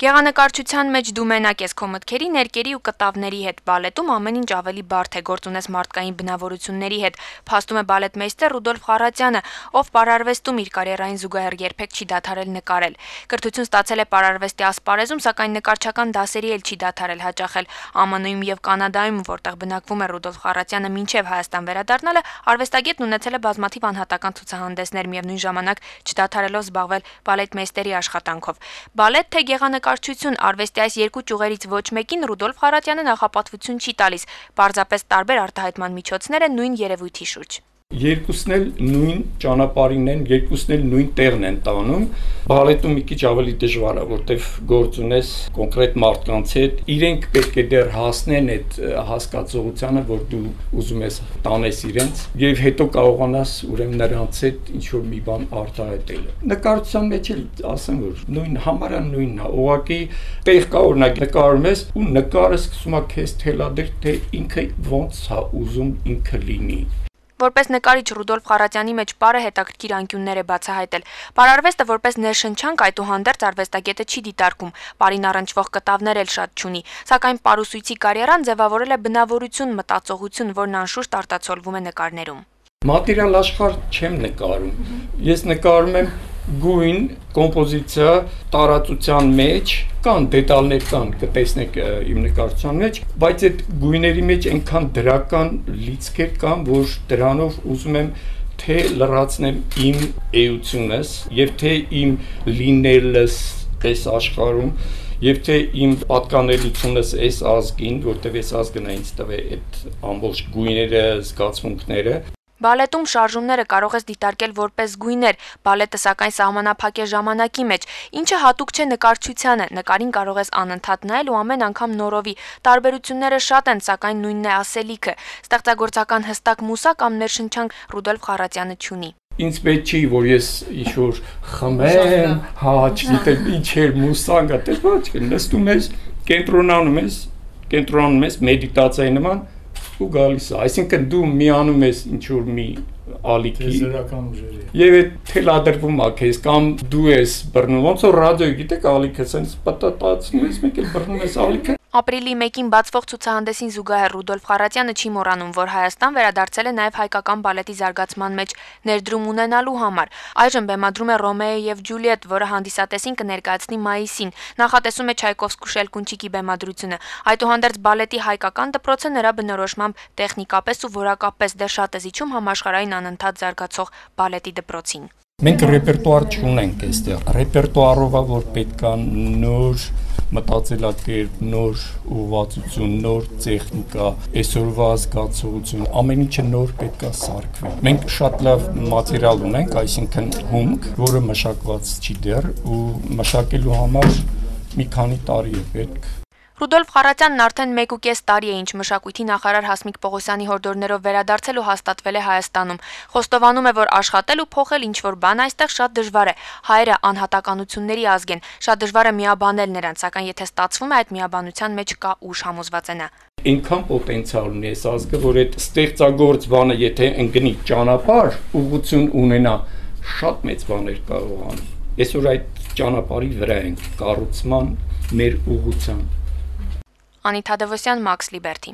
Գեղանկարչության մեջ դու մենակ ես քո մտքերի, ներկերի ու կտավների հետ, բալետում ամեն ինչ ավելի բարդ է, գործ ունես մարդկային բնավորությունների հետ, փաստում է բալետմեյստեր Ռուդոլֆ Խառատյանը, ով պարարվեստում իր կարիերային զուգահեռ երբեք չի դադարել նկարել։ Կրթություն ստացել է պարարվեստի ասպարեզում, սակայն նկարչական դասերի էլ չի դադարել հաճախել։ ԱՄՆ-ում եւ Կանադայում, որտեղ բնակվում է Ռուդոլֆ Խառատյանը մինչեւ Հայաստան վերադառնալը, արվեստագետն ունեցել է բազմաթիվ անհատական ցուցահանդեսներ, միևնույն ժամանակ չդադարելով զբաղվել բալետմեյստերի աշխատանքով։ Բալետ թե գեղանկարչություն, արվեստի այս երկու ճյուղերից ոչ մեկին Ռուդոլֆ Խառատյանը նախապատվություն չի տալիս, պարզապես տարբեր արտահայտման միջոցներ են նույն երևույթի շուրջ։ Երկուսն էլ նույն ճանապարհին են, երկուսն էլ նույն տեղն են տանում։ Բալետում մի քիչ ավելի դժվար է, որտեղ գործ ունես կոնկրետ մարդկանց հետ, իրենք պետք է դեռ հասնեն այդ հասկացողությանը, որ դու ուզում ես տանես իրենց, եւ հետո կարողանաս ուրեմն նրանց հետ ինչ որ մի բան արտահայտել։ Նկարչության մեջ էլ ասեմ, որ նույն համարը նույնն է, ուղղակի տեղ կա օրինակ նկարում ես ու նկարը սկսում է քեզ թելադրել, թե ինքը ոնց է ուզում ինքը լինի։ Որպես նկարիչ Ռուդոլֆ Խառատյանի մեջ պարը հետաքրքիր անկյուններ է բացահայտել։ Պարարվեստը որպես ներշնչանք այդուհանդերձ արվեստագետը չի դիտարկում, պարին առնչվող կտավներ էլ շատ չունի, սակայն պարուսույցի կարիերան ձևավորել է բնավորություն, մտածողություն, որն անշուշտ արտացոլվում է նկարներում։ Մատերիալ աշխարհ չեմ նկարում։ Ես նկարում եմ գույն, կոմպոզիցիա, տարածության մեջ, կան դետալներ կան, կտեսնեք իմ նկարչության մեջ, բայց այդ գույների մեջ այնքան դրական լիցքեր կան, որ դրանով ուզում եմ թե լրացնեմ իմ էությունս եւ թե իմ լինելս այս աշխարհում եւ թե իմ պատկանելությունս այս ազգին, որտեղ այս ազգն է ինձ տվել այդ ամբողջ գույները, զգացմունքները։ Բալետում շարժումները կարող ես դիտարկել որպես գույներ, բալետը սակայն սահմանափակ է ժամանակի մեջ, ինչը հատուկ չէ նկարչությանը, նկարին կարող ես անընդհատ նայել ու ամեն անգամ նորովի, տարբերությունները շատ են, սակայն նույնն է ասելիքը, ստեղծագործական հստակ մուսա կամ ներշնչանք Ռուդոլֆ Խառատյանը չունի։ Ինձ պետք չի, որ ես ինչ-որ խմեմ, չգիտեմ, ինչ էր մուսանգա, դες ոչ, նստում ես, կենտրոնանում ես մեդիտացիայի նման ու գալիս է, այսինքն դու միանում ես ինչ-որ մի ալիքի եւ այդ թելադրվում է քեզ կամ դու ես բռնում, ոնց որ ռադիոյի գիտեք ալիքը, sense պատատացնում ես, մեկ էլ բռնում ես ալիքը։ Ապրիլի 1-ին բացվող ցուցահանդեսին զուգահեռ Ռուդոլֆ Խառատյանը չի մոռանում, որ Հայաստան վերադարձել է նաև հայկական բալետի զարգացման մեջ ներդրում ունենալու համար։ Այժմ բեմադրում է Ռոմեո եւ Ջուլիետ, որը հանդիսատեսին կներկայացնի մայիսին։ Նախատեսում է Չայկովսկու Շելկունչիկի բեմադրությունը։ Այդուհանդերձ բալետի հայկական դպրոցը նրա բնորոշմամբ տեխնիկապես ու որակապես դեռ շատ է զիջում համաշխարհային անընդհատ զարգացող բալետի դպրոցին։ Մենք ռեպերտուար չունենք այստեղ։ Ռեպերտուարով է, որ պետք է նոր մտածելակերպ, նոր ուղղվածություն, նոր տեխնիկա, այսօրվա զգացողություն, ամեն ինչը նոր պետք է սարքվի։ Մենք շատ լավ մատերիալ ունենք, այսինքն հումք, որը մշակված չի դեռ ու մշակելու համար մի քանի տարի է պետք։ Ռուդոլֆ Խառատյանն արդեն 1.5 տարի է, ինչ մշակույթի նախարար Հասմիկ Պողոսյանի հորդորներով վերադարձել ու հաստատվել է Հայաստանում։ Խոստովանում է, որ աշխատել ու փոխել ինչ-որ բան այստեղ շատ դժվար է։ Հայերը անհատականությունների ազգ են, շատ դժվար է միաբանել նրանց, սակայն եթե ստացվում է, այդ միաբանության մեջ կա ուժ, համոզված է նա։ Այնքան պոտենցիալ ունի այս ազգը, որ այդ ստեղծագործ բանը, եթե ընկնի ճանապարհ, ուղղություն ունենա, շատ մեծ բաներ կարող անի։ Այսօր այդ ճանապարհի վրա ենք, կառուցման մեր ուղղության։ Անիթ Թադևոսյան, Մաքս Լիբերթի։